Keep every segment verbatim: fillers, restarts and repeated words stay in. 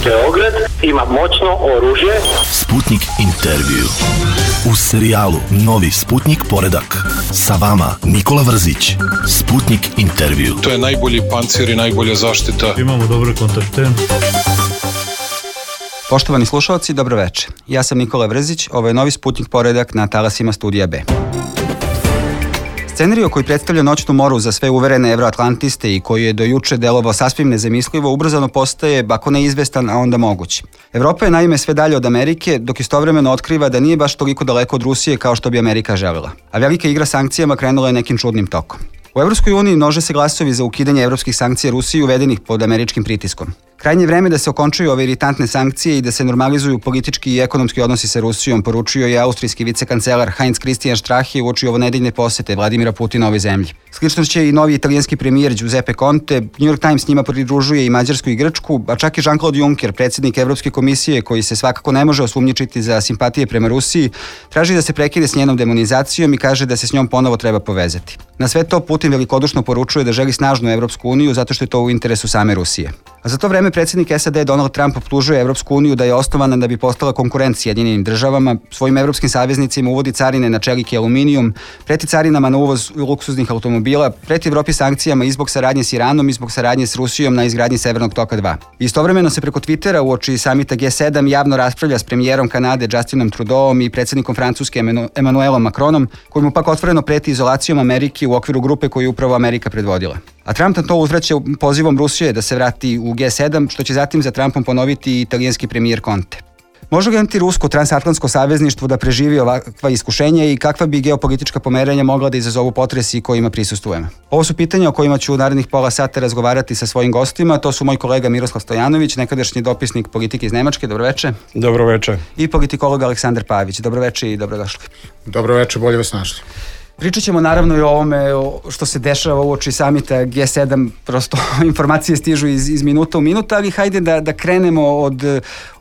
Beograd ima moćno oružje. Sputnik intervju. U serijalu Novi Sputnik poredak. Sa vama Nikola Vrzić. Sputnik intervju. To je najbolji pancir i najbolja zaštita. Imamo dobre kontakte. Poštovani slušalci, dobro večer. Ja sam Nikola Vrzić, ovo je Novi Sputnik poredak na talasima Studija B. Scenario koji predstavlja noćnu moru za sve uverene evroatlantiste i koji je do juče delovao sasvim nezamislivo, ubrzano postaje, ako ne izvestan, a onda moguć. Evropa je naime sve dalje od Amerike, dok istovremeno otkriva da nije baš toliko daleko od Rusije kao što bi Amerika želela. A velika igra sankcijama krenula je nekim čudnim tokom. U Evropskoj uniji množe se glasovi za ukidanje evropskih sankcija Rusiji uvedenih pod američkim pritiskom. Krajnje vreme da se okončaju ove iritantne sankcije i da se normalizuju politički i ekonomski odnosi sa Rusijom, poručio je austrijski vicekancelar Heinz Christian Strache uoči ovonedeljne posete Vladimira Putina ovoj zemlji. Slično će i novi italijanski premijer Giuseppe Conte, New York Times njima pridružuje i Mađarsku i Grčku, a čak i Jean-Claude Juncker, predsjednik Evropske komisije, koji se svakako ne može osumnjičiti za simpatije prema Rusiji, traži da se prekide s njenom demonizacijom i kaže da se s njom ponovo treba povezati. Na sve to Putin velikodušno poručuje da želi snažnu Evropsku uniju zato što je to u interesu same Rusije. A za to vreme predsjednik S A D Donald Trump optužuje Evropsku uniju da je osnovana da bi postala konkurent Sjedinjenim državama, svojim evropskim saveznicima uvodi carine na čelik i aluminijum, preti carinama na uvoz luksuznih automobila, preti Evropi sankcijama i zbog saradnje s Iranom i zbog saradnje s Rusijom na izgradnji Severnog toka dva. Istovremeno se preko Twittera uoči samita G sedam javno raspravlja s premijerom Kanade Justinom Trudeauom i predsjednikom Francuske Emmanuelom Macronom, koji mu pak otvoreno preti izolacijom Amerike u okviru grupe koju je upravo Amerika predvodila. A Trump na to uzvraća pozivom Rusije da se vrati u G sedam, što će zatim za Trumpom ponoviti i italijanski premijer Conte. Može li antirusko transatlantsko savezništvo da preživi ovakva iskušenja i kakva bi geopolitička pomeranja mogla da izazovu potresi kojima prisustvujemo? Ovo su pitanja o kojima ću u narednih pola sata razgovarati sa svojim gostima. To su moj kolega Miroslav Stojanović, nekadašnji dopisnik politike iz Nemačke. Dobroveče. Dobroveče. I politikolog Aleksandar Pavić. Dobroveče i dobrodošli. Dobroveče, bolje vas našli. Pričat ćemo naravno i o ovome što se dešava uoči samita G sedam, prosto informacije stižu iz, iz minuta u minuta, ali hajde da, da krenemo od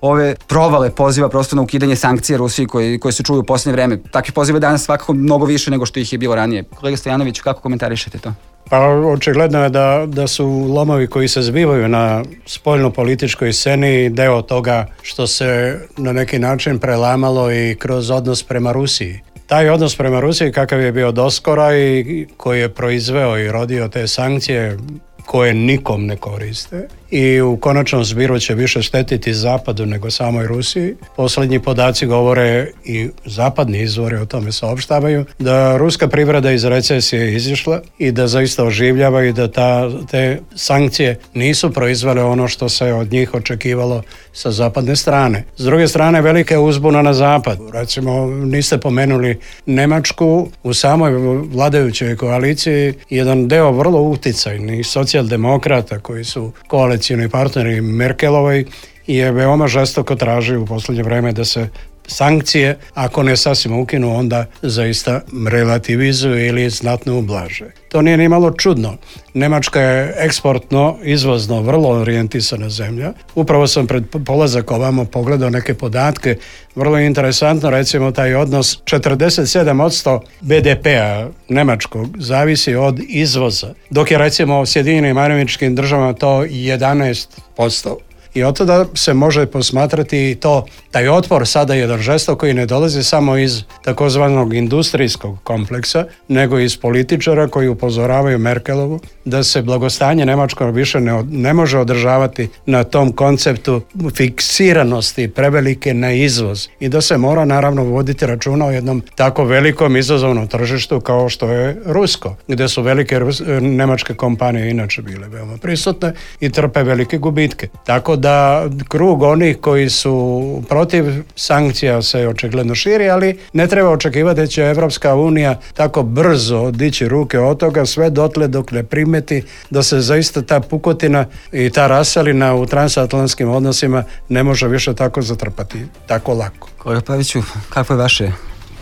ove provale poziva prosto na ukidanje sankcija Rusiji koje, koje se čuju u posljednje vreme. Takvih poziva danas svakako mnogo više nego što ih je bilo ranije. Kolega Stojanović, kako komentarišete to? Pa očigledno je da, da su lomovi koji se zbivaju na spoljno-političkoj sceni deo toga što se na neki način prelamalo i kroz odnos prema Rusiji. Taj odnos prema Rusiji kakav je bio doskora i koji je proizveo i rodio te sankcije koje nikom ne koriste i u konačnom zbiru će više štetiti Zapadu nego samoj Rusiji. Posljednji podaci govore i zapadni izvori o tome saopštavaju da ruska privreda iz recesije izišla i da zaista oživljava i da ta, te sankcije nisu proizvele ono što se od njih očekivalo sa zapadne strane. S druge strane, velika je uzbuna na zapadu. Recimo, niste pomenuli Nemačku, u samoj vladajućoj koaliciji jedan deo vrlo uticajnih socijaldemokrata koji su koalicijni partneri Merkelovoj je veoma žestoko traži u posljednje vreme da se sankcije, ako ne sasvim ukinu, onda zaista relativizuju ili znatno ublaže. To nije ni malo čudno. Nemačka je eksportno, izvozno, vrlo orijentisana zemlja. Upravo sam pred polazak ovamo pogledao neke podatke. Vrlo interesantno, recimo, taj odnos četrdeset sedam posto B D P-a nemačkog zavisi od izvoza, dok je recimo u Sjedinjenim Američkim Državama to jedanaest posto. I od tada se može posmatrati i to, taj otpor sada jedan žestok koji ne dolazi samo iz takozvanog industrijskog kompleksa, nego iz političara koji upozoravaju Merkelovu da se blagostanje Nemačko više ne, ne može održavati na tom konceptu fiksiranosti prevelike na izvoz i da se mora naravno voditi računa o jednom tako velikom izazovnom tržištu kao što je rusko, gdje su velike rus, nemačke kompanije inače bile veoma prisutne i trpe velike gubitke. Tako da krug onih koji su protiv sankcija se očigledno širi, ali ne treba očekivati da će Evropska unija tako brzo dići ruke od toga sve dotle dok ne primeti da se zaista ta pukotina i ta raselina u transatlantskim odnosima ne može više tako zatrpati, tako lako. Kolega Paviću, kako je vaše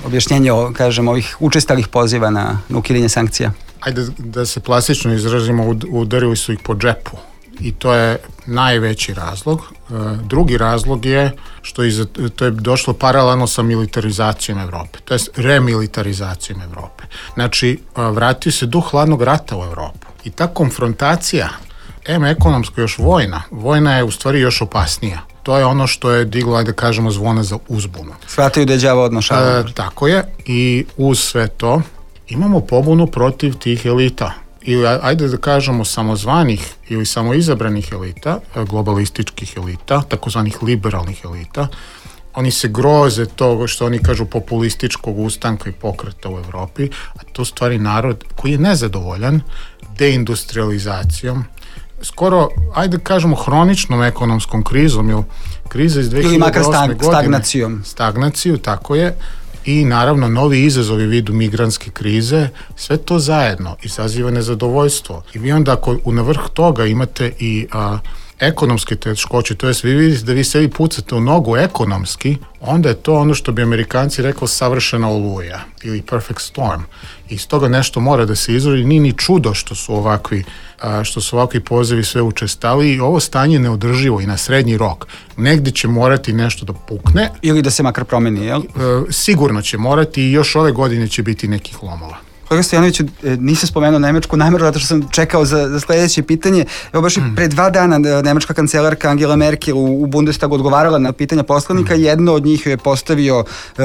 objašnjenje o, kažem, ovih učestalih poziva na, na ukidanje sankcija? Ajde da se plastično izrazimo, udarili su ih po džepu. I to je najveći razlog. Drugi razlog je što je, to je došlo paralelno sa militarizacijom Evrope, to je remilitarizacijom Evrope. Znači, vratio se duh hladnog rata u Evropu. I ta konfrontacija, em ekonomsko još vojna, vojna je u stvari još opasnija. to je ono što je diglo, ajde kažemo, zvone za uzbunu. Shvataju da je đavo odnošava. E, tako je, i uz sve to imamo pobunu protiv tih elita. Ili ajde da kažemo samozvanih ili samoizabranih elita, globalističkih elita, takozvanih liberalnih elita. Oni se groze toga što oni kažu populističkog ustanka i pokreta u Evropi, a to stvari narod koji je nezadovoljan deindustrializacijom, skoro, ajde da kažemo, hroničnom ekonomskom krizom, ili kriza iz dve hiljade osme. Ili makar stag, stagnacijom. Stagnaciju, tako je. I naravno novi izazovi vidu migrantske krize, sve to zajedno izaziva nezadovoljstvo. I vi onda ako na vrh toga imate i a, ekonomske teškoće, to jest vi vidite da vi sebi pucate u nogu ekonomski, onda je to ono što bi Amerikanci rekli savršena oluja ili perfect storm. I iz toga nešto mora da se izrodi, nije ni čudo što su ovakvi a, što su ovakvi pozivi sve učestali i ovo stanje je neodrživo i na srednji rok. Negdje će morati nešto da pukne. Ili da se makar promeni, jel? E, sigurno će morati i još ove godine će biti nekih lomova. Kolega Stojanoviću, nisam spomenuo Nemačku namjeru, zato što sam čekao za, za sljedeće pitanje. Evo baš i pre dva dana nemačka kancelarka Angela Merkel u, u Bundestagu odgovarala na pitanja poslanika. Mm. Jedno od njih je postavio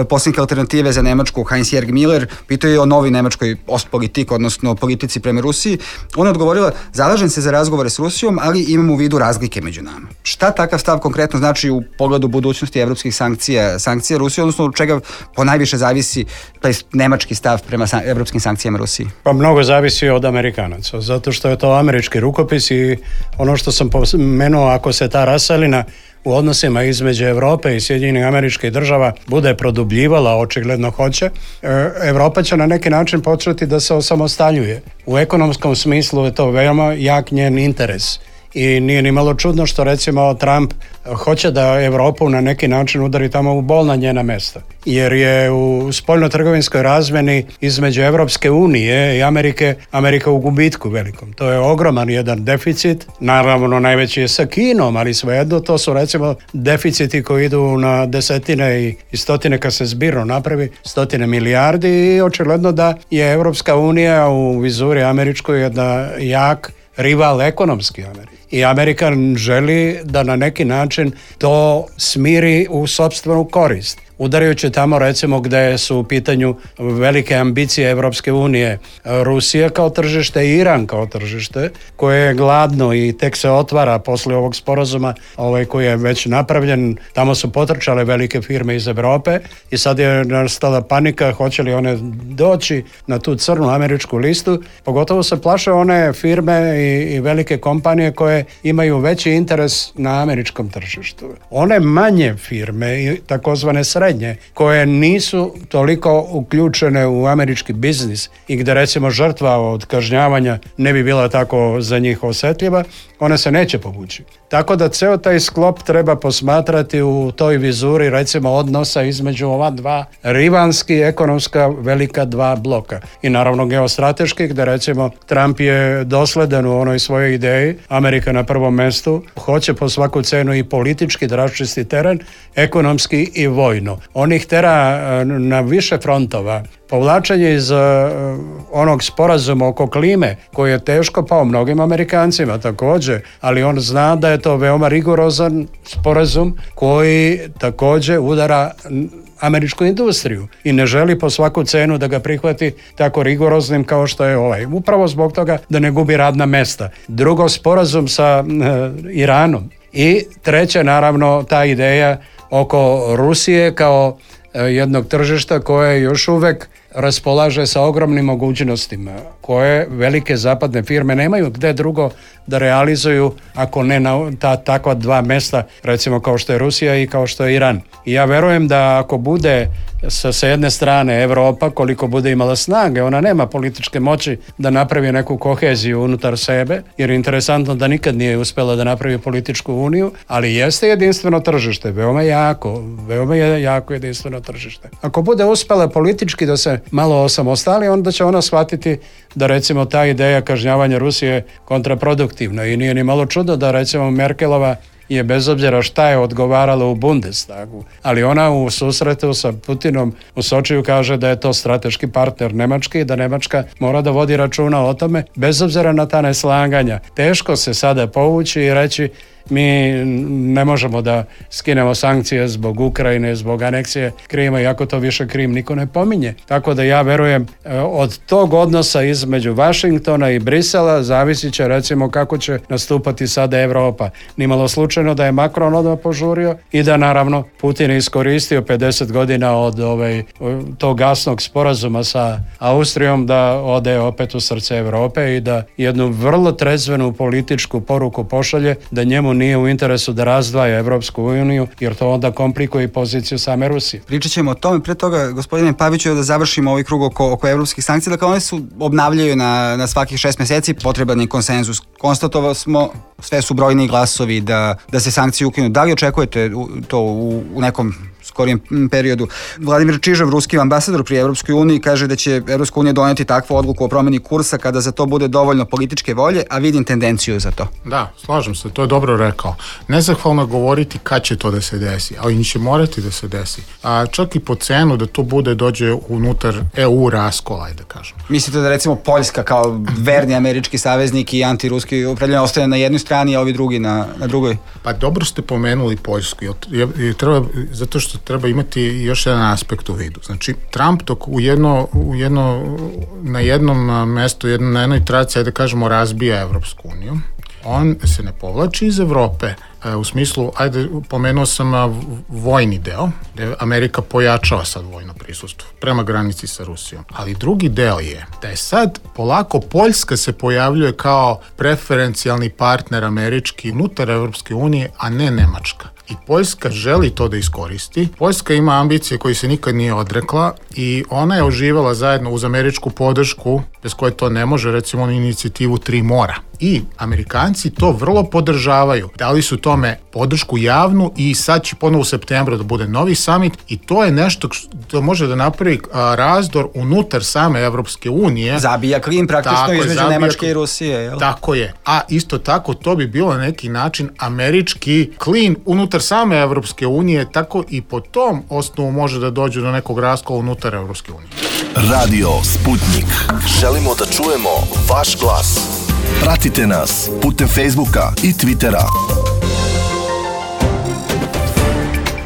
poslanik alternative za Nemačku, Heinz-Jürg Müller, pitao je o novoj nemačkoj ostpolitik, odnosno politici prema Rusiji. Ona je odgovorila, zalažem se za razgovore s Rusijom, ali imam u vidu razlike među nama. Šta takav stav konkretno znači u pogledu budućnosti evropskih sankcija, sankcija Rusije, odnosno od čega ponajviše zavisi taj nemački stav prema san, evropskim sankcijama Rusiji? Pa mnogo zavisi od Amerikanaca, zato što je to američki rukopis i ono što sam pomenuo, ako se ta raselina u odnosima između Europe i Sjedinjenih Američkih Država bude produbljivala, očigledno hoće, Europa će na neki način početi da se osamostaljuje. U ekonomskom smislu je to veoma jak njen interes. I nije ni malo čudno što recimo Trump hoće da Europu na neki način udari tamo u bolna njena mesta. Jer je u spoljno-trgovinskoj razmjeni između Evropske unije i Amerike, Amerika u gubitku velikom. To je ogroman jedan deficit. Naravno najveći je sa Kinom, ali svejedno to su recimo deficiti koji idu na desetine i, i stotine kad se zbirno napravi, stotine milijardi i očigledno da je Evropska unija u vizuri američkoj jedna jak rival ekonomski Amerike. I Amerika želi da na neki način to smiri u sopstvenu korist. Udarajući tamo recimo gdje su u pitanju velike ambicije Evropske unije, Rusija kao tržište i Iran kao tržište, koje je gladno i tek se otvara poslije ovog sporazuma ovaj koji je već napravljen. Tamo su potrčale velike firme iz Europe i sad je nastala panika hoće li one doći na tu crnu američku listu. Pogotovo se plaše one firme i, i velike kompanije koje imaju veći interes na američkom tržištu. One manje firme i takozvane srednje koje nisu toliko uključene u američki biznis i gdje recimo žrtva od kažnjavanja ne bi bila tako za njih osjetljiva, one se neće povući. Tako da ceo taj sklop treba posmatrati u toj vizuri recimo odnosa između ova dva rivalski ekonomska velika dva bloka. I naravno geostrateški gdje recimo Trump je dosledan u onoj svojoj ideji, Amerika na prvom mjestu, hoće po svaku cenu i politički da raščisti teren, ekonomski i vojno. On ih tera na više frontova. Povlačenje iz uh, onog sporazuma oko klime, koji je teško pao mnogim Amerikancima također, ali on zna da je to veoma rigorozan sporazum koji također udara američku industriju i ne želi po svaku cenu da ga prihvati tako rigoroznim kao što je ovaj. Upravo zbog toga da ne gubi radna mesta. Drugo, sporazum sa uh, Iranom. I treće, naravno, ta ideja oko Rusije kao jednog tržišta koje još uvek raspolaže sa ogromnim mogućnostima koje velike zapadne firme nemaju gde drugo da realizuju ako ne na ta takva dva mesta, recimo kao što je Rusija i kao što je Iran. I ja verujem da ako bude sa, sa jedne strane Evropa, koliko bude imala snage, ona nema političke moći da napravi neku koheziju unutar sebe, jer je interesantno da nikad nije uspela da napravi političku uniju, ali jeste jedinstveno tržište, veoma jako, veoma je jako jedinstveno tržište. Ako bude uspela politički da se malo osamostali, onda će ona shvatiti da recimo ta ideja kažnjavanja Rusije kontraproduktivna i nije ni malo čudo da recimo Merkelova je bez obzira šta je odgovarala u Bundestagu, ali ona u susretu sa Putinom u Sočiju kaže da je to strateški partner Nemački i da Nemačka mora da vodi računa o tome bez obzira na ta neslaganja. Teško se sada povući i reći mi ne možemo da skinemo sankcije zbog Ukrajine, zbog aneksije Krima, iako to više Krim niko ne pominje. Tako da ja verujem od tog odnosa između Vašingtona i Brisela zavisit će recimo kako će nastupati sada Evropa. Nimalo slučajno da je Macron odmah požurio i da naravno Putin je iskoristio pedeset godina od ovaj, tog gasnog sporazuma sa Austrijom da ode opet u srce Evrope i da jednu vrlo trezvenu političku poruku pošalje da njemu nije u interesu da razdvaja Evropsku uniju, jer to onda komplikuje i poziciju same Rusije. Pričat ćemo o tome. Pre toga, gospodine Paviću, da završimo ovaj krug oko, oko evropskih sankcija. Dakle, one su obnavljaju na, na svakih šest meseci, potreban je konsenzus. Konstatovali smo, sve su brojni glasovi da, da se sankcije ukinu. Da li očekujete to u, u nekom skorijem periodu? Vladimir Čižev, ruski ambasador pri Evropskoj uniji, kaže da će Evropska unija doneti takvu odluku o promeni kursa kada za to bude dovoljno političke volje, a vidim tendenciju za to. Da, slažem se, to je dobro rekao. Nezahvalno je govoriti kad će to da se desi, ali će morati da se desi. A čak i po cenu da to bude dođe unutar E U raskola, da kažem. Mislite da recimo Poljska kao verni američki saveznik i antiruski upravljanje ostaje na jednoj strani, a ovi drugi na, na drugoj? Pa dobro ste pomenuli Poljsku, treba, zato što treba imati još jedan aspekt u vidu. Znači, Trump dok u jedno, u jedno, na jednom mestu, jedno, na jednoj traci, da kažemo, razbija Evropsku uniju, on se ne povlači iz Evrope, u smislu, ajde, pomenuo sam vojni deo, gde Amerika pojačava sad vojno prisustvo prema granici sa Rusijom. Ali drugi deo je da je sad polako Poljska se pojavljuje kao preferencijalni partner američki unutar Evropske unije, a ne Nemačka. I Poljska želi to da iskoristi. Poljska ima ambicije koje se nikad nije odrekla i ona je uživala zajedno uz američku podršku, bez koje to ne može, recimo na inicijativu Tri mora. I Amerikanci to vrlo podržavaju. Dali su tome podršku javnu i sad će ponovo u septembru da bude novi summit i to je nešto što može da napravi razdor unutar same Evropske unije. Zabija klin praktično između Nemačke i Rusije. Jel? Tako je. A isto tako to bi bilo na neki način američki klin unutar same Evropske unije, tako i po tom osnovu može da dođe do nekog raskola unutar Evropske unije. Radio Sputnik. Želimo da čujemo vaš glas. Pratite nas putem Facebooka i Twittera.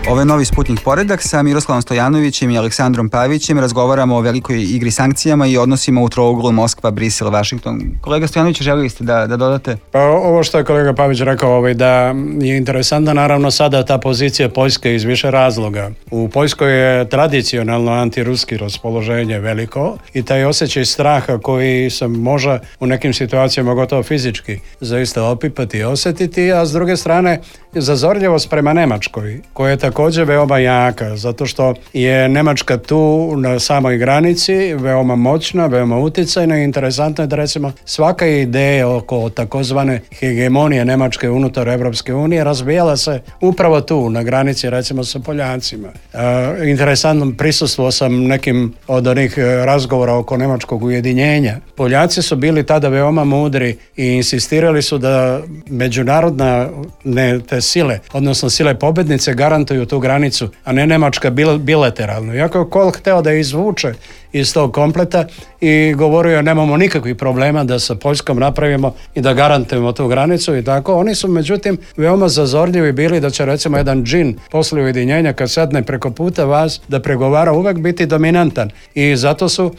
Ovo je novi Sputnik poredak. Sa Miroslavom Stojanovićem i Aleksandrom Pavićem razgovaramo o velikoj igri sankcijama i odnosima u trouglu Moskva, Brisel, Vašington. Kolega Stojanović, želili ste da, da dodate? Pa ovo što je kolega Pavić rekao, ovaj, da je interesantna naravno sada ta pozicija Poljske iz više razloga. U Poljskoj je tradicionalno antiruski raspoloženje veliko i taj osjećaj straha koji se može u nekim situacijama gotovo fizički zaista opipati i osjetiti, a s druge strane zazorljivost prema Nemačkoj, koja je također veoma jaka, zato što je Nemačka tu na samoj granici, veoma moćna, veoma uticajna i interesantno je da recimo svaka ideja oko takozvane hegemonije Nemačke unutar Evropske unije razbijala se upravo tu, na granici recimo sa Poljacima. E, interesantno prisustvo sam nekim od onih razgovora oko nemačkog ujedinjenja. Poljaci su bili tada veoma mudri i insistirali su da međunarodna ne, te sile, odnosno sile pobednice garantuju tu granicu, a ne Nemačka bilateralno. Iako je Kohl hteo da izvuče iz tog kompleta i govorio nemamo nikakvih problema da sa Poljskom napravimo i da garantujemo tu granicu i tako. Oni su međutim veoma zazorljivi bili da će recimo jedan džin posle ujedinjenja kad sedne preko puta vas da pregovara uvek biti dominantan i zato su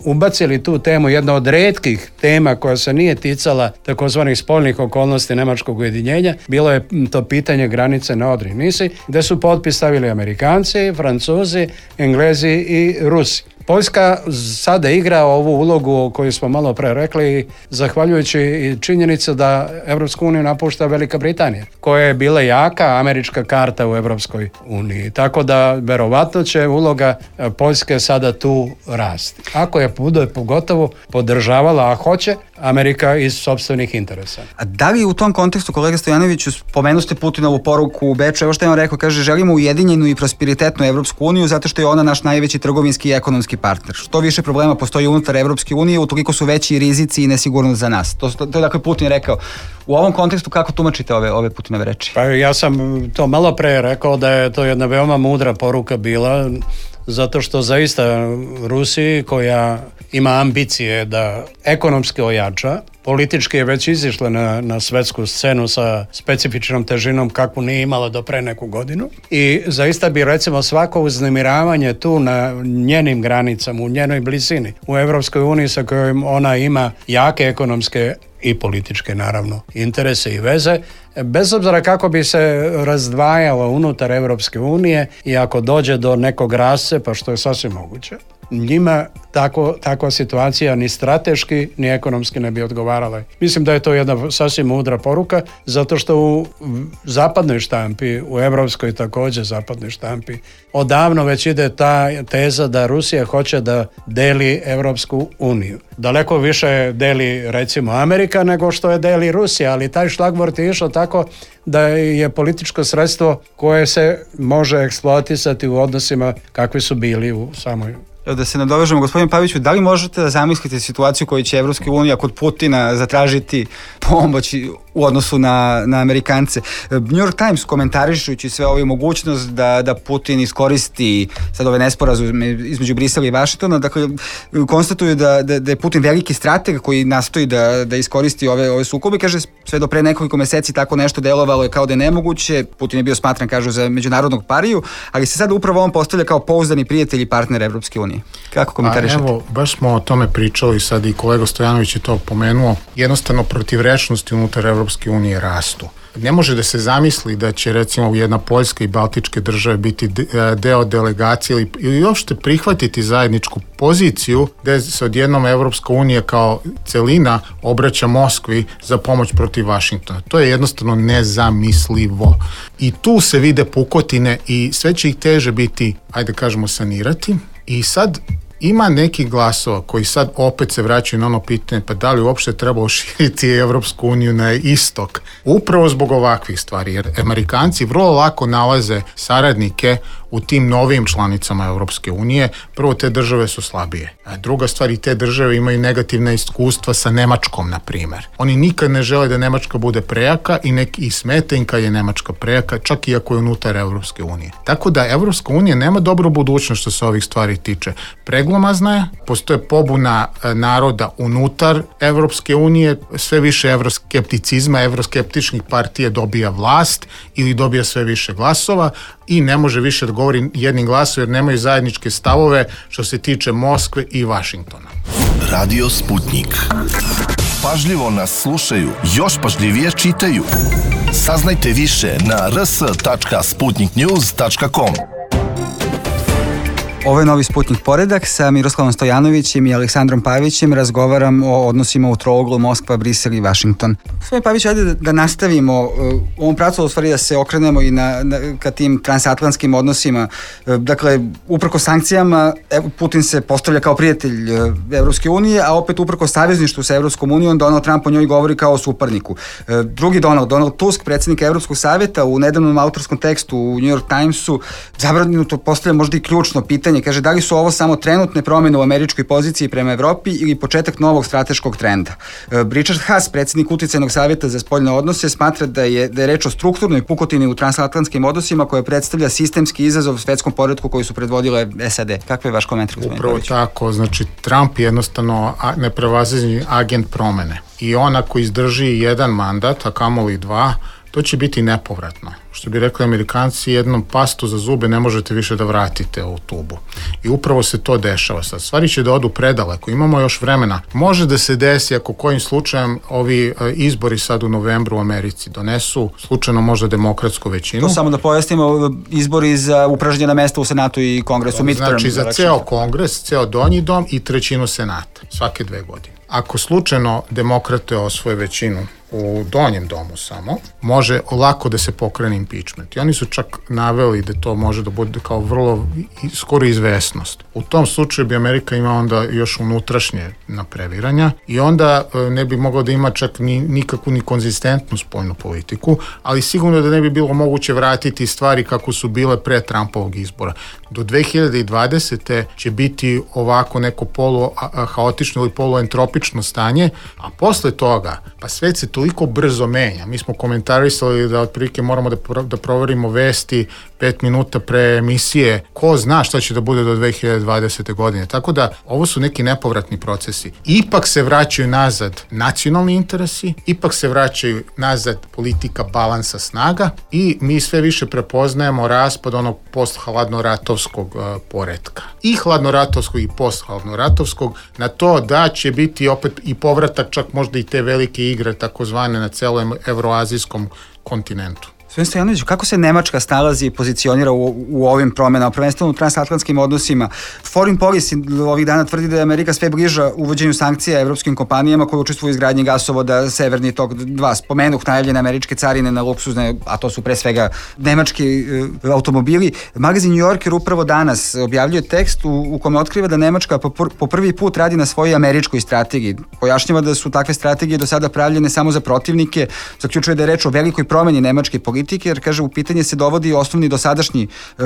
ubacili tu temu, jedna od retkih tema koja se nije ticala takozvanih spoljnih okolnosti nemačkog ujedinjenja, bilo je to pitanje granice na Odri Nisi, gde su potpis stavili Amerikanci, Francuzi, Englezi i Rusi. Poljska sada igra ovu ulogu koju smo malo pre rekli, zahvaljujući činjenici da Evropsku uniju napušta Velika Britanija, koja je bila jaka američka karta u Evropskoj uniji. Tako da verovatno će uloga Poljske sada tu rasti. Ako je bude pogotovo podržavala, a hoće, Amerika iz sopstvenih interesa. A da li u tom kontekstu, kolega Stojanoviću, spomenuli ste Putinovu poruku u Beču, evo što je on rekao, kaže želimo ujedinjenu i prosperitetnu Evropsku uniju zato što je ona naš najveći trgovinski i ekonomski partner. Što više problema postoji unutar Evropske unije, utoliko su veći rizici i nesigurnost za nas. To, to, to je dakle Putin rekao. U ovom kontekstu kako tumačite ove, ove Putinove reči? Pa ja sam to malo pre rekao da je to jedna veoma mudra poruka bila, zato što zaista Rusiji koja ima ambicije da ekonomski ojača politički je već izišla na, na svetsku scenu sa specifičnom težinom kakvu nije imala do pre neku godinu i zaista bi recimo svako uznemiravanje tu na njenim granicama, u njenoj blizini, u Evropskoj uniji sa kojom ona ima jake ekonomske i političke naravno interese i veze, bez obzira kako bi se razdvajalo unutar Evropske unije i ako dođe do nekog rascepa, što je sasvim moguće, njima tako, takva situacija ni strateški ni ekonomski ne bi odgovarala. Mislim da je to jedna sasvim mudra poruka, zato što u zapadnoj štampi, u evropskoj također zapadnoj štampi, odavno već ide ta teza da Rusija hoće da deli Evropsku uniju. Daleko više deli recimo Amerika nego što je deli Rusija, ali taj šlagvort je išao tako da je političko sredstvo koje se može eksploatisati u odnosima kakvi su bili u samoj. Da se nadovežemo, gospodin Paviću, da li možete da zamislite situaciju koju će Evropska unija kod Putina zatražiti pomoć u odnosu na, na Amerikance? New York Times komentarišući sve ovu mogućnost da, da Putin iskoristi sad ove nesporazume između Brisela i Vašingtona, dakle konstatuju da, da, da je Putin veliki strateg koji nastoji da, da iskoristi ove, ove sukobe, kaže sve do pre nekoliko meseci tako nešto delovalo je kao da je nemoguće, Putin je bio smatran, kažu, za međunarodnog pariju, ali se sad upravo on postavlja kao pouzdani prijatelj i partner Evropske unije. Kako komentarišete? Evo, baš smo o tome pričali sad i kolega Stojanović je to pomenuo. Jednostavno protivrečnosti unutar Evropske unije rastu. Ne može da se zamisli da će recimo jedna Poljska i Baltičke države biti deo delegacije ili, ili uopšte prihvatiti zajedničku poziciju gde se odjednom Evropska unija kao celina obraća Moskvi za pomoć protiv Vašingtona. To je jednostavno nezamislivo. I tu se vide pukotine i sve će ih teže biti, ajde kažemo, sanirati. I sad ima nekih glasova koji sad opet se vraćaju na ono pitanje, pa da li uopšte treba širiti Evropsku uniju na istok? Upravo zbog ovakvih stvari, jer Amerikanci vrlo lako nalaze saradnike u tim novim članicama Evropske unije. Prvo, te države su slabije. A druga stvar, i te države imaju negativna iskustva sa Nemačkom, na primer. Oni nikad ne žele da Nemačka bude prejaka i neki i smeta im kad je Nemačka prejaka, čak i ako je unutar Evropske unije. Tako da Evropska unija nema dobru budućnost što se ovih stvari tiče. Preglomazna je, postoje pobuna naroda unutar Evropske unije, sve više evroskepticizma, evroskeptičnih partija dobija vlast ili dobija sve više glasova i ne može više da govori jednim glasom jer nemaju zajedničke stavove što se tiče Moskve i Vašingtona. Radio Sputnik. Pažljivo nas slušaju, još pažljivije čitaju. Saznajte više na r s tačka sputnik news tačka com. Ovo je Novi Sputnik Poredak, sa Miroslavom Stojanovićem i Aleksandrom Pavićem razgovaram o odnosima u trouglu Moskva, Brisel i Vašington. Gospodin Pavić, ajde da, da nastavimo u ovom pracu, u stvari da se okrenemo i na, na, ka tim transatlantskim odnosima. Dakle, uprko sankcijama, Putin se postavlja kao prijatelj Evropske unije, a opet uprko savezništvu sa Evropskom unijom, Donald Trump o njoj govori kao o suparniku. Drugi Donald, Donald Tusk, predsjednik Evropskog savjeta, u nedavnom autorskom tekstu u New York Timesu zabranuto postavlja možda i ključno pitanje. Kaže, da li su ovo samo trenutne promjene u američkoj poziciji prema Evropi ili početak novog strateškog trenda? Richard Haas, predsjednik uticajnog savjeta za spoljne odnose, smatra da je, da je reč o strukturnoj pukotini u transatlantskim odnosima koja predstavlja sistemski izazov svetskom poretku koji su predvodile S A D. Kakav je vaš komentar, gospodine Upravo Pavić? tako, znači Trump je jednostavno neprevaziđeni agent promene i on ako izdrži jedan mandat, a kamoli dva, to će biti nepovratno. Što bi rekli Amerikanci, jednom pastu za zube ne možete više da vratite u tubu. I upravo se to dešava sad. Stvari će da odu predaleko, imamo još vremena. Može da se desi ako kojim slučajem ovi izbori sad u novembru u Americi donesu slučajno možda demokratsku većinu. To samo da pojasnimo, izbori za upražnjena mesta u Senatu i Kongresu. Znači za ceo Kongres, ceo donji dom i trećinu Senata svake dve godine. Ako slučajno demokrate osvoje većinu u donjem domu samo, može lako da se pokrene impeachment. I oni su čak naveli da to može da bude kao vrlo skoro izvesnost. U tom slučaju bi Amerika ima onda još unutrašnje napreviranja i onda ne bi moglo da ima čak ni, nikakvu ni konzistentnu spoljnu politiku, ali sigurno da ne bi bilo moguće vratiti stvari kako su bile pre Trumpovog izbora. Do dve hiljade dvadesete će biti ovako neko polu haotično ili poluentropično stanje, a posle toga, pa svet se toliko brzo menja. Mi smo komentarisali da otprilike moramo da, pro, da proverimo vesti pet minuta pre emisije. Ko zna šta će da bude do dve hiljade dvadesete. godine. Tako da ovo su neki nepovratni procesi. Ipak se vraćaju nazad nacionalni interesi, ipak se vraćaju nazad politika balansa snaga i mi sve više prepoznajemo raspad onog post-hladnoratovskog uh, poretka. I hladnoratovskog i post-hladnoratovskog na to da će biti opet i povratak čak možda i te velike igre takozvane na celom evroazijskom kontinentu. Gospodin Stojanović, kako se Nemačka snalazi i pozicionira u, u ovim promenama, prvenstveno u transatlantskim odnosima? Foreign Policy ovih dana tvrdi da je Amerika sve bliža uvođenju sankcija evropskim kompanijama koje učestvuju u izgradnji gasovoda Severni tok dva. Spomenuh najavljene američke carine na luksuzne, a to su pre svega nemački e, automobili. Magazin New Yorker upravo danas objavljuje tekst u, u kome otkriva da Nemačka po, po prvi put radi na svojoj američkoj strategiji. Pojašnjava da su takve strategije do sada pravljene samo za protivnike, zaključuje da je reč o velikoj promeni nemačke politike, jer, kaže, u pitanje se dovodi osnovni dosadašnji e,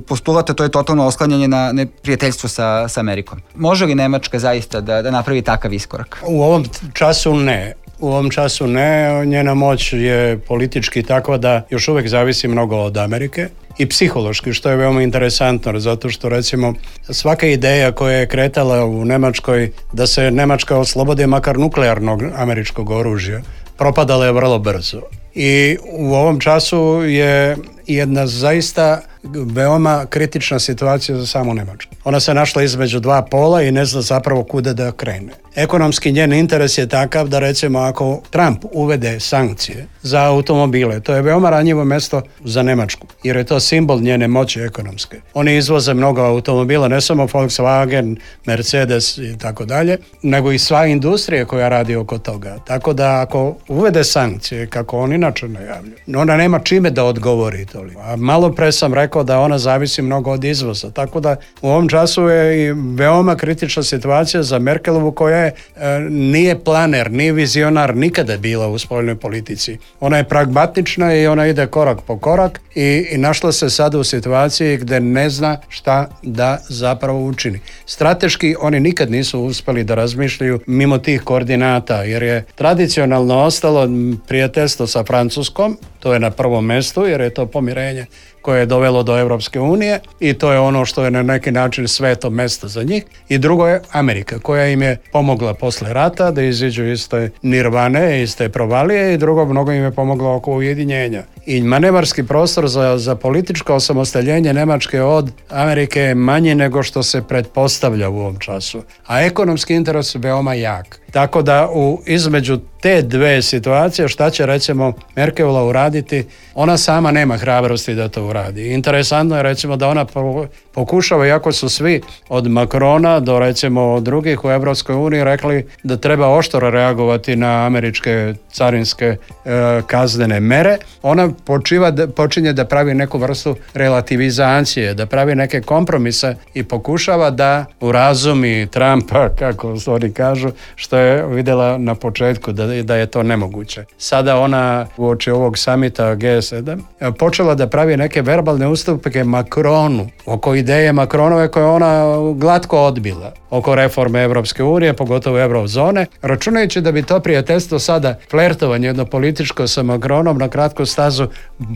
postulat, a to je totalno osklanjanje na neprijateljstvo sa, sa Amerikom. Može li Nemačka zaista da, da napravi takav iskorak? U ovom času ne. U ovom času ne. Njena moć je politički takva da još uvek zavisi mnogo od Amerike i psihološki, što je veoma interesantno, zato što, recimo, svaka ideja koja je kretala u Nemačkoj da se Nemačka oslobodi makar nuklearnog američkog oružja, propadala je vrlo brzo. I u ovom času je jedna zaista veoma kritična situacija za samu Nemačku. Ona se našla između dva pola i ne zna zapravo kuda da krene. Ekonomski njen interes je takav da, recimo, ako Trump uvede sankcije za automobile, to je veoma ranjivo mesto za Nemačku, jer je to simbol njene moći ekonomske. Oni izvoze mnogo automobila, ne samo Volkswagen, Mercedes i tako dalje, nego i sva industrija koja radi oko toga. Tako da ako uvede sankcije, kako on inače najavljuje, ona nema čime da odgovori to. A malo pre sam rekao da ona zavisi mnogo od izvoza, tako da u ovom času je i veoma kritična situacija za Merkelovu, koja je, e, nije planer, nije vizionar nikada bila u spoljnoj politici. Ona je pragmatična i ona ide korak po korak i, i našla se sada u situaciji gde ne zna šta da zapravo učini. Strateški oni nikad nisu uspeli da razmišljaju mimo tih koordinata, jer je tradicionalno ostalo prijateljstvo sa Francuskom, to je na prvom mestu, jer je to pomirenje koje je dovelo do Evropske unije i to je ono što je na neki način sveto mesto za njih. I drugo je Amerika, koja im je pomogla posle rata da iziđu iz te nirvane, iz te provalije, i drugo, mnogo im je pomoglo oko ujedinjenja. I manevarski prostor za, za političko osamostaljenje Nemačke od Amerike je manji nego što se pretpostavlja u ovom času. A ekonomski interes je veoma jak. Tako da u između te dve situacije, šta će, recimo, Merkelova uraditi, ona sama nema hrabrosti da to uradi. Interesantno je, recimo, da ona pokušava, iako su svi od Macrona do, recimo, drugih u Evropskoj uniji rekli da treba oštro reagovati na američke carinske e, kaznene mere, ona počiva, počinje da pravi neku vrstu relativizacije, da pravi neke kompromise i pokušava da urazumi Trumpa, kako oni kažu, što je videla na početku da, da je to nemoguće. Sada ona uoči ovog samita G sedam počela da pravi neke verbalne ustupke Macronu oko ideje Macronove koje ona glatko odbila, oko reforme Evropske unije, pogotovo eurozone, računajući da bi to prijateljstvo sada, flertovanje jedno političko sa Macronom na kratku stazu,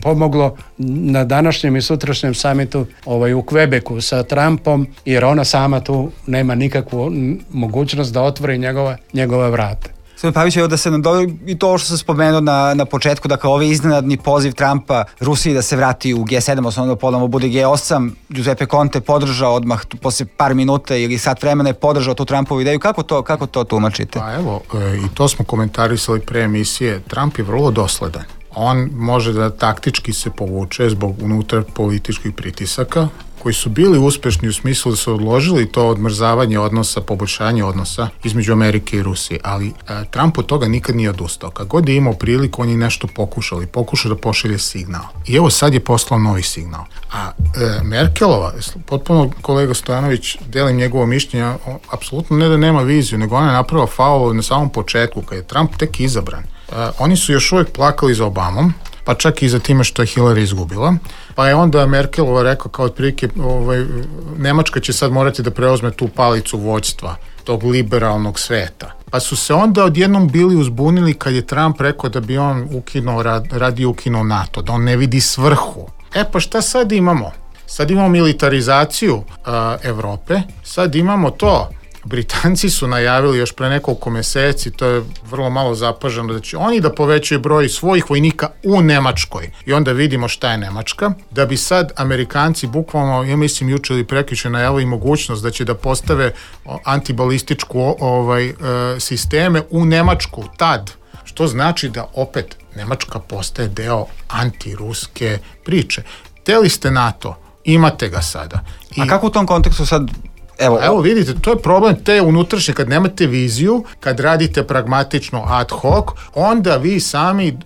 pomoglo na današnjem i sutrašnjem samitu ovaj, u Quebecu sa Trumpom, jer ona sama tu nema nikakvu mogućnost da otvori njegova, njegova vrata. Gospodin Pavić, evo da se nadovri i to što sam spomenuo na, na početku, dakle ovaj iznenadni poziv Trumpa Rusiji da se vrati u G sedam, osnovno ponovno bude G osam, Giuseppe Conte podržao odmah posle par minuta ili sat vremena je podržao tu Trumpovu ideju. Kako to, kako to tumačite? Pa evo, e, i to smo komentarisali pre emisije. Trump je vrlo dosledan. On može da taktički se povuče zbog unutar političkih pritisaka koji su bili uspešni u smislu da su odložili to odmrzavanje odnosa, poboljšanje odnosa između Amerike i Rusije, ali e, Trump od toga nikad nije odustao. Kad god je imao priliku, on je nešto pokušao i pokušao da pošalje signal. I evo sad je poslao novi signal. A e, Merkelova, potpuno kolega Stojanović, delim njegovo mišljenje, apsolutno ne da nema viziju, nego ona je napravila faul na samom početku, kad je Trump tek izabran. E, oni su još uvijek plakali za Obamom, pa čak i za time što je Hillary izgubila. Pa je onda Merkelova rekao kao otprilike, ovaj, Nemačka će sad morati da preuzme tu palicu vođstva tog liberalnog sveta. Pa su se onda odjednom bili uzbunili kad je Trump rekao da bi on ukinuo, radi ukinuo NATO, da on ne vidi svrhu. E pa šta sad imamo? Sad imamo militarizaciju uh, Evrope, sad imamo to. Britanci su najavili još pre nekoliko meseci, to je vrlo malo zapaženo, da će oni da povećaju broj svojih vojnika u Nemačkoj. I onda vidimo šta je Nemačka. Da bi sad Amerikanci bukvalno, ja mislim juče ili prekjuče najavili mogućnost da će da postave antibalističku ovaj, uh, sisteme u Nemačku tad. Što znači da opet Nemačka postaje deo antiruske priče. Hteli ste NATO, imate ga sada. I... A kako u tom kontekstu sad... Evo, Evo vidite, to je problem te unutrašnje, kad nemate viziju, kad radite pragmatično ad hoc, onda vi sami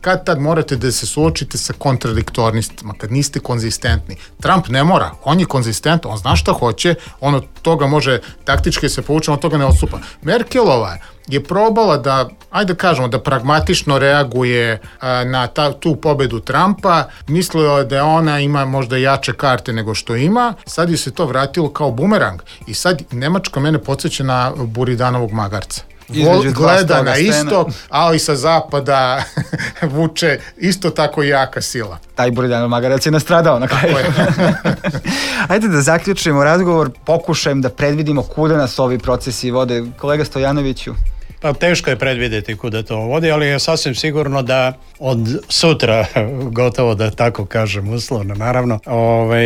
kad tad morate da se suočite sa kontradiktornostima, kad niste konzistentni. Trump ne mora, on je konzistentan, on zna šta hoće, on od toga može taktički se povuče, on od toga ne odstupa. Merkelova je probala da, ajde da kažemo, da pragmatično reaguje a, na ta, tu pobedu Trumpa, mislila da ona ima možda jače karte nego što ima, sad je se to vratilo kao bumerang i sad Nemačka mene podsjeća na Buridanovog magarca. Vol, gleda na istok, ali sa zapada vuče isto tako jaka sila. Taj Buridanov magarac je nastradao na kraju. Ajde da zaključimo razgovor, pokušajem da predvidimo kuda nas ovi procesi vode. Kolega Stojanoviću. Pa teško je predvidjeti kuda to vodi, ali je sasvim sigurno da od sutra, gotovo da tako kažem uslovno, naravno, ovaj,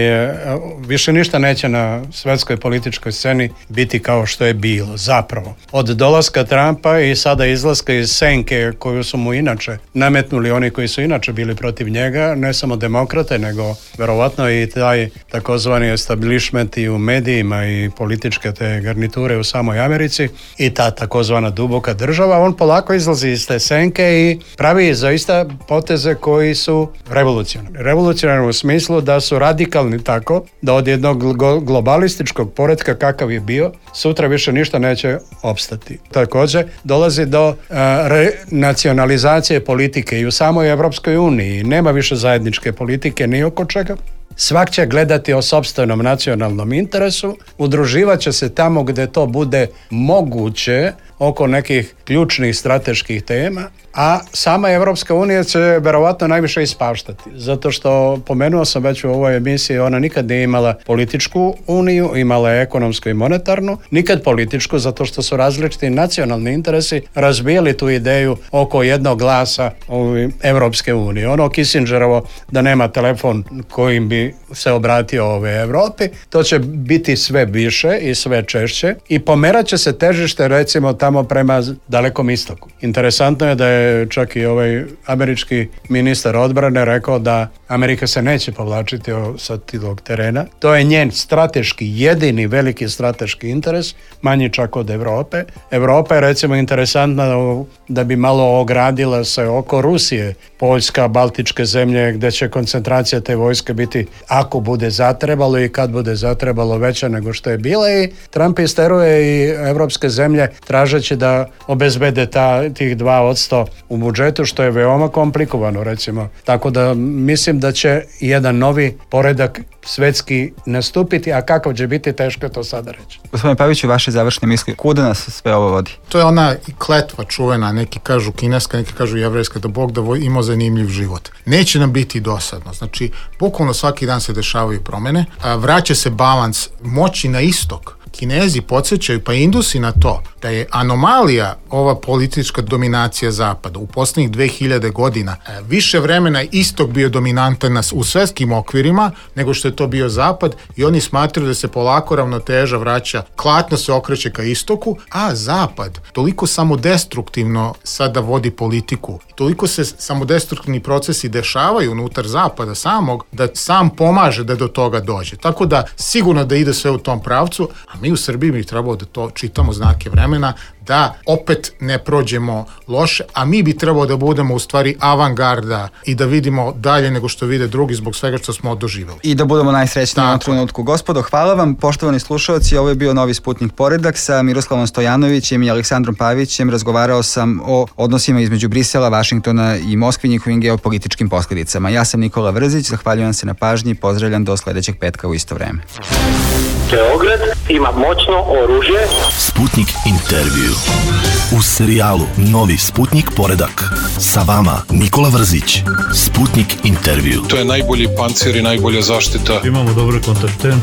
više ništa neće na svetskoj političkoj sceni biti kao što je bilo, zapravo. Od dolaska Trumpa i sada izlaska iz senke koju su mu inače nametnuli oni koji su inače bili protiv njega, ne samo demokrate, nego verovatno i taj takozvani establishment i u medijima i političke te garniture u samoj Americi i ta takozvana duboka država, on polako izlazi iz te senke i pravi zaista poteze koji su revolucionarni. Revolucionarni u smislu da su radikalni tako da od jednog globalističkog poretka kakav je bio, sutra više ništa neće opstati. Također dolazi do uh, renacionalizacije politike i u samoj Evropskoj uniji. Nema više zajedničke politike ni oko čega. Svak će gledati o sopstvenom nacionalnom interesu, udruživat će se tamo gdje to bude moguće oko nekih ključnih strateških tema, a sama Evropska unija će verovatno najviše ispaštati, zato što pomenuo sam već u ovoj emisiji, ona nikad nije imala političku uniju, imala je ekonomsku i monetarnu, nikad političku, zato što su različiti nacionalni interesi razbijali tu ideju oko jednog glasa Evropske unije. Ono Kissingerovo da nema telefon kojim bi se obratio ove Evropi, to će biti sve više i sve češće i pomerat će se težište recimo tamo prema dalekom istoku. Interesantno je da je čak i ovaj američki ministar odbrane rekao da Amerika se neće povlačiti sa tog terena. To je njen strateški, jedini veliki strateški interes, manji čak od Evrope. Evropa je recimo interesantna da bi malo ogradila se oko Rusije, Poljska, Baltičke zemlje, gdje će koncentracija te vojske biti, ako bude zatrebalo i kad bude zatrebalo, veća nego što je bila i Trump isteruje i evropske zemlje tražeći da obezbede ta, tih dva odsto u budžetu, što je veoma komplikovano recimo. Tako da mislim da će jedan novi poredak svetski nastupiti, a kakav će biti, teško je to sada reći. Gospodine Paviću, vaše završne misli, kuda nas sve ovo vodi? To je ona kletva čuvena, neki kažu kineska, neki kažu jevrejska, da Bog da ima zanimljiv život. Neće nam biti dosadno, znači bukvalno svaki dan se dešavaju promene, a vraća se balans moći na istok. Kinezi podsjećaju, pa Indusi na to, da je anomalija ova politička dominacija Zapada u posljednjih dve hiljade godina. Više vremena istok bio dominantan nas u svetskim okvirima nego što je to bio Zapad i oni smatraju da se polako ravnoteža vraća, klatno se okreće ka istoku, a Zapad toliko samodestruktivno sada vodi politiku. Toliko se samodestruktivni procesi dešavaju unutar Zapada samog, da sam pomaže da do toga dođe. Tako da sigurno da ide sve u tom pravcu, a mi u Srbiji bi trebalo da to čitamo znake vremena, da opet ne prođemo loše, a mi bi trebalo da budemo u stvari avangarda i da vidimo dalje nego što vide drugi zbog svega što smo doživjeli. I da budemo najsrećniji u ovom trenutku. Gospodo, hvala vam, poštovani slušalci, ovo je bio Novi Sputnik Poredak sa Miroslavom Stojanovićem i Aleksandrom Pavićem. Razgovarao sam o odnosima između Brisela, Vašingtona i Moskve, njihovim geopolitičkim posljedicama. Ja sam Nikola Vrzić, zahvaljujem se na pažnji i pozdravljam do sljedećeg petka u isto vreme. Beograd ima moćno oružje. Sputnik intervju. U serijalu Novi Sputnik poredak. Sa vama Nikola Vrzić. Sputnik intervju. To je najbolji pancir i najbolja zaštita. Imamo dobre kontakte.